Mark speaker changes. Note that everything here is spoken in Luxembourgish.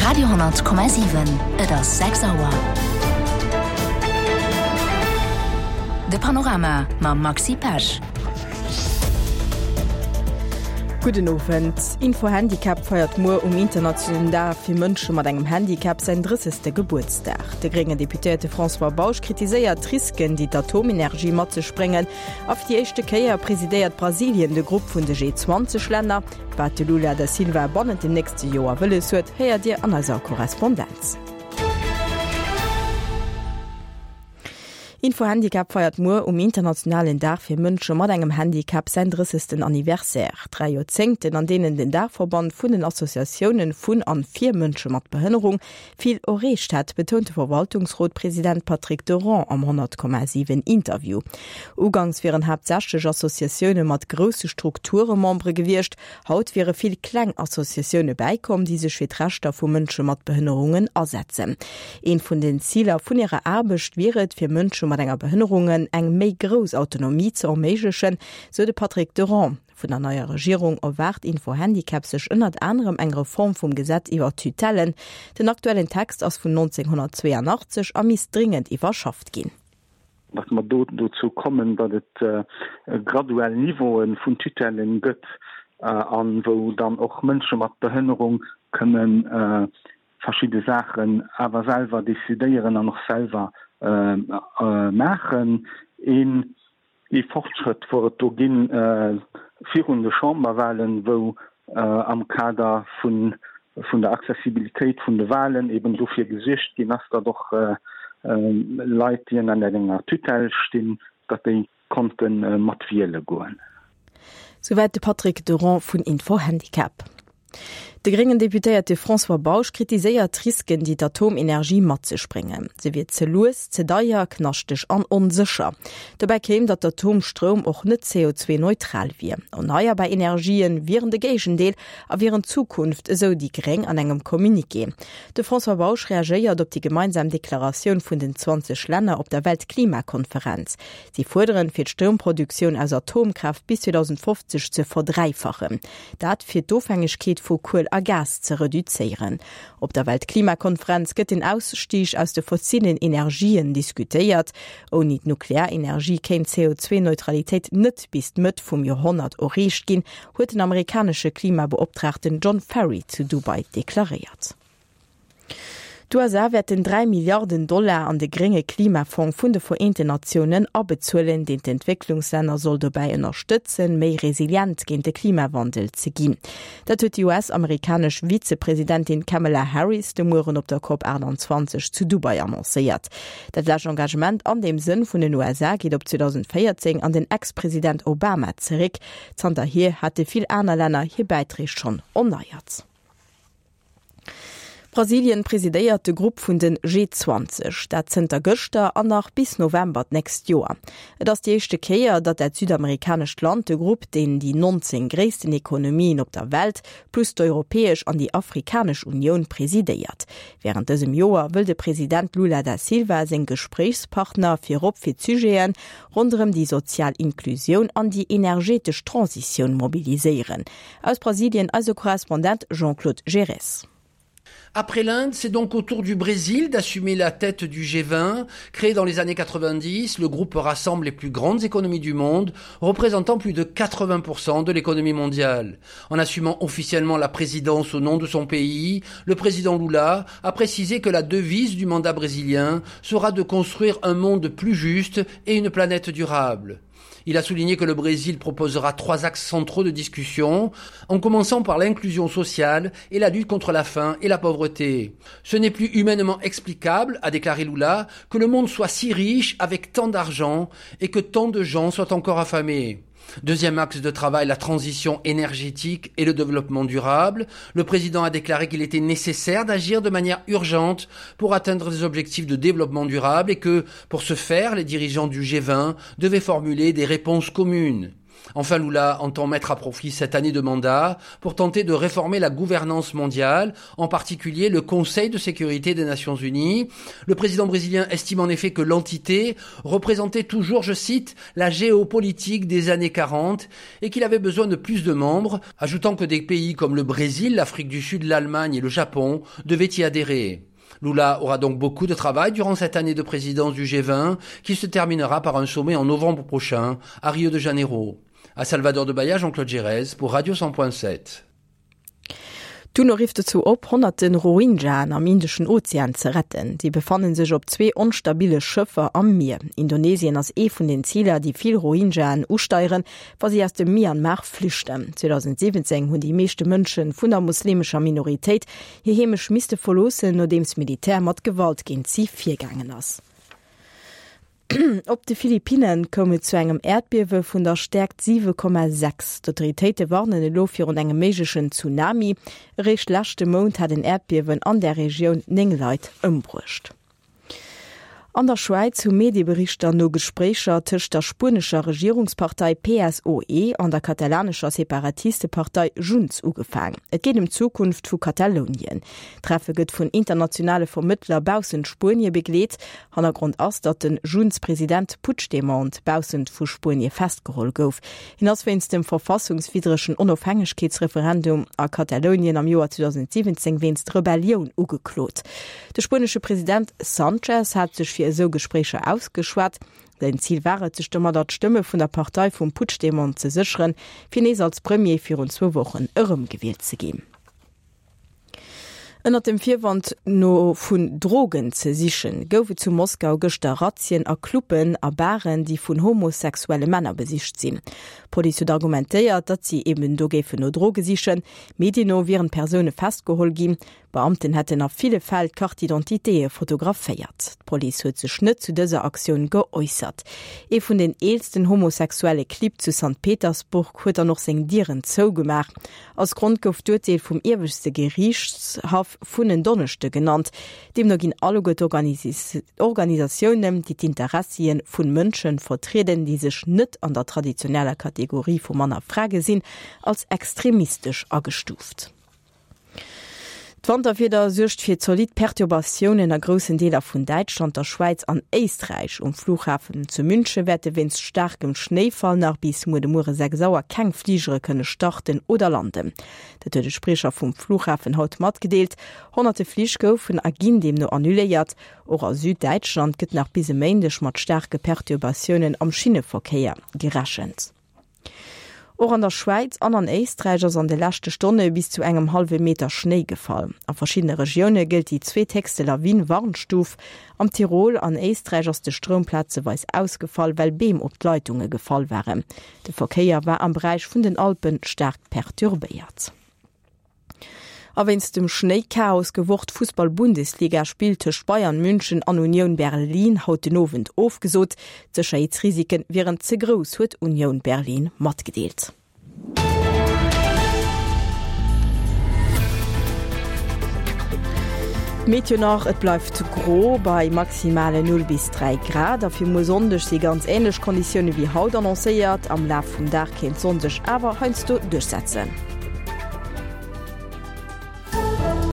Speaker 1: Radio,7 Et ass 6 Auer. De Panorama mam Maxi Pesch.
Speaker 2: Gudden Owend. Info-Handicap feiert muer um internationalen Dag fir Mënsche mat engem Handicap säin 30. Gebuertsdag. De gréngen Deputéierte François Bausch kritiséiert d'Risken, déi d'Atomenergie mat sech bréngen. A fir déi éischte Kéier presidéiert Brasilien de Grupp vun de G20-Länner. Wat de Lula da Silva bannent dem nächste Joer wëlles huet, héiert Dir an eiser Korrespondenz. Info-Handicap feiert muer um internationalen Dag fir Mënsche mat engem Handicap säin 30. Anniversaire. Dräi Joerzéngten, an deenen den Daachverband vun den Associatioune vun an fir Mënsche mat Behënnerung vill erreecht hätt, betount de Verwaltungsrot-President Patrick Durand am 100,7 Interview. Uganks wieren haaptsächlech Associatioune mat grousse Strukture Membere gewiescht, haut wiere vill kleng Associatioune bäikomm, déi sech fir d'Rechter vu Mënsche mat Behënnerungen asetzen. Eent vun den Ziler vun hirer Aarbecht wier et, fir Mënsche mat enger Behënnerungen eng méi grouss Autonomie ze erméiglechen, sou de Patrick Durand. Vun der neier Regierung erwaart Info-Handicap sech ënnert anerem eng Reform vum Gesetz iwwer d'Tutellen. Den aktuellen Text ass vun 1982 a misst dringend iwwerschafft ginn.
Speaker 3: Datt mer do dozou kommen, datt et graduell Niveaue vun Tutellen gëtt a wou dann och Mënsche mat Behënnerung kënne verschidde Saachen awer selwer decidéieren an och selwer maachen. Een Ee Fortschrëtt wor et do ginn virun de Chamberwahlen, wou am Kader vun der Accessibilitéit vun de Wahlen eben dofir gesuergt ginn ass, datt och Leit, déi ënner enger Tutelle stinn, datt déi konnte mat wiele goen.
Speaker 2: Souwäit de Patrick Durand vun Info-Handicap. De gréngen Deputéierte François Bausch kritiséiert d'Risken, déi d'Atomenergie mat sech bréngen. Se wier ze lues, ze deier, knaschteg an onsécher. Dobäi kéim, datt d'Atomstroum och net CO2-neutral wier. Erneierbar Energien wieren de Géigendeel a wieren d'Zukunft, esou déi Gréng an engem Communiqué. De François Bausch reagéiert op déi gemeinsam Deklaratioun vun den 20 Länner op der Weltklimakonferenz. Si fuerderen, fir d'Stroumproduktioun aus Atomkraaft bis 2050 ze verdräifachen. Dat fir d'Ofhängegkeet vu Kuel a Gas ze reduzéieren. Op der Weltklimakonferenz gëtt den Ausstieg aus de fossilen Energien diskutéiert. Ouni d'Nuklearenergie kéint d'CO2-Neutralitéit net bis d'Mëtt vum Joerhonnert erreecht ginn, huet den amerikanesche Klimabeoptraagten John Ferry zu Dubai deklaréiert. D'USA wäerten 3 Milliarden Dollar an de grénge Klimafong vun de Vereenten Natiounen abezuelen, deen d'Entwécklungslänner soll dobäi ënnerstëtzen, méi resilient géint de Klimawandel ze ginn. Dat huet déi US-amerikanesch Vizepresidentin Kamala Harris de Mueren op der Cop 28 zu Dubai annoncéiert. Dat lescht Engagement an deem Sënn vun den USA geet op 2014 an den Ex-President Obama zeréck. Zanterhier hate vill aner Länner hir Bäiträg schonn erneiert. Brasilien presidéiert de Grupp vun den G20, dat zënter gëschter an nach bis November d'nächst Joer. Et ass déi éischte Kéier, datt dat südamerikanescht Land de Grupp, deen déi 19 gréissten Ekonomien op der Welt, plus d'Europäesch an déi Afrikanesch Unioun presidéiert. Wärend dësem Joer wëll de President Lula da Silva seng Gespréichspartner virop fir d'Sujeten ronderëm déi sozial Inklusioun an déi energetesch Transitioun mobiliséieren. Aus Brasilien eise Korrespondent Jean-Claude Gerez.
Speaker 4: Après l'Inde, c'est donc au tour du Brésil d'assumer la tête du G20. Créé dans les années 90, le groupe rassemble les plus grandes économies du monde, représentant plus de 80% de l'économie mondiale. En assumant officiellement la présidence au nom de son pays, le président Lula a précisé que la devise du mandat brésilien sera de construire un monde plus juste et une planète durable. Il a souligné que le Brésil proposera trois axes centraux de discussion, en commençant par l'inclusion sociale et la lutte contre la faim et la pauvreté. Ce n'est plus humainement explicable, a déclaré Lula, que le monde soit si riche avec tant d'argent et que tant de gens soient encore affamés. Deuxième axe de travail, la transition énergétique et le développement durable. Le président a déclaré qu'il était nécessaire d'agir de manière urgente pour atteindre des objectifs de développement durable et que, pour ce faire, les dirigeants du G20 devaient formuler des réponses communes. Enfin, Lula entend mettre à profit cette année de mandat pour tenter de réformer la gouvernance mondiale, en particulier le Conseil de sécurité des Nations Unies. Le président brésilien estime en effet que l'entité représentait toujours, je cite, la géopolitique des années 40 et qu'il avait besoin de plus de membres, ajoutant que des pays comme le Brésil, l'Afrique du Sud, l'Allemagne et le Japon devaient y adhérer. Lula aura donc beaucoup de travail durant cette année de présidence du G20 qui se terminera par un sommet en novembre prochain à Rio de Janeiro. À Salvador de Bahia, Jean-Claude Gérez pour Radio 100.7.
Speaker 2: D'UNO rifft dozou op, honnerte Rohingyaen am Indeschen Ozean ze retten. Si befanne sech op zwee onstabille Schëffer am Mier. Indonesien ass ee vun den Ziler, déi vill Rohingyaen usteieren, wa si aus dem Myanmar flüchten. 2017 hunn déi meeschte Mënsche vun der muslimescher Minoritéit hir Heemecht misste verloossen, nodeems d'Militär mat Gewalt géint si virgaangen ass. Op de Philippinne koum et zu engem Äerdbiewe vun der Stäerkt 7,6. D'Autoritéite warnen elo virun engem méiglechen Tsunami. Eréischt leschte Mount hat en Äerdbiewen an där Regioun 9 Leit ëmbruecht. An der Schwäiz hu Medieberichter no Gespréicher tëscht der spuenescher Regierungspartei PSOE an der katalanescher Separatistepartei Junts ugefaang. Et geet ëm d'Zukunft vu Katalounien. D'Treffe gëtt vun internationale Vermëttler baussent Spuenie begleet. Hannergrond ass, datt de Junts-President Puigdemont baussent vu Spuenie festgeholl gouf. Hien ass wéinst dem verfassungswiddregen Onofhängegkeetsreferendum a Katalounien am Joer 2017 wéinst Rebellioun ugeklot. De spuenesche President Sanchez hat sech fir esou Gespréicher ausgeschwat. Säin Zil war et, sech domadder d'Stëmme vun der Partei vum Puigdemont ze sécheren, fir nees als Premier virun zwou Wochen erëmgewielt ze ginn. Ënnert dem Virwand no vun Drogen ze sichen, gouf et zu Moskau gëschter Razzien a Cluben a Baren, déi vun homosexuelle Männer besicht sinn. D'Police huet argumentéiert, datt si eben do géifen no Droge sichen. Medien no wieren Persoune festgeholl ginn. Beamten hätten a ville Fäll d'Carte-d'identitéë fotograféiert. D'Police huet sech net zu dëser Aktioun geäussert. Ee vun den eelsten homosexuelle Clibb zu Sankt Petersburg huet dann och seng Dieren zougemaach. Als Grond gouf d'Urteel vum ieweschte Geriichtshaff vun en Donneschde genannt. Deemno ginn alleguer d'Organisatiounen, déi d'Interessie vu Mënsche vertrieden, déi sech net an der traditioneller Kategorie vu Mann a Fra gesinn, als extremistesch agestuuft. D'Wanterwieder suergt fir zolidd Perturbatiounen a groussen Deeler vun Däitschland, der Schwäiz an Éisträich. Um Flughafen zu Münche wäerte wéinst staarkem Schnéifall nach bis muer de Muere 6 Auer keng Fligere kënne starten oder landen. Dat huet e Spriecher vum Flughafen haut matgedeelt. Honnerte Flich goufen a ginn deemno annuléiert. Och a Süddäitschland gëtt nach bis e Méindeg mat staarke Perturbatiounen am Schinneverkéier gerechent. Och an der Schwäiz an an Éisträich ass an de leschte Stonne bis zu engem hallwe Meter Schnéi gefall. A verschiddene Regioune gëllt déi zweethéchste Lawin-Warnstuf. Am Tirol an Éisträich ass de Stroum plazeweis ausgefall, well Beem op d'Leitunge gefall waren. De Verkéier war am Beräich vun den Alpe staark perturbéiert. A wéinst dem Schnéichaos gouf och d'Fussball-Bundesliga-Spill tëscht Bayern München an Union Berlin haut den Owend ofgesot. D'Sécherheetsrisike wieren ze grouss, huet Union Berlin matgedeelt. D'Meteo nach, Et bleift gro bei maximale 0 bis 3 Grad a fir muer Sonndeg si ganz änlech Konditioune wéi haut annoncéiert. Am Laf vum Dag kéint d'Sonn sech awer heiansdo duerchsetzen.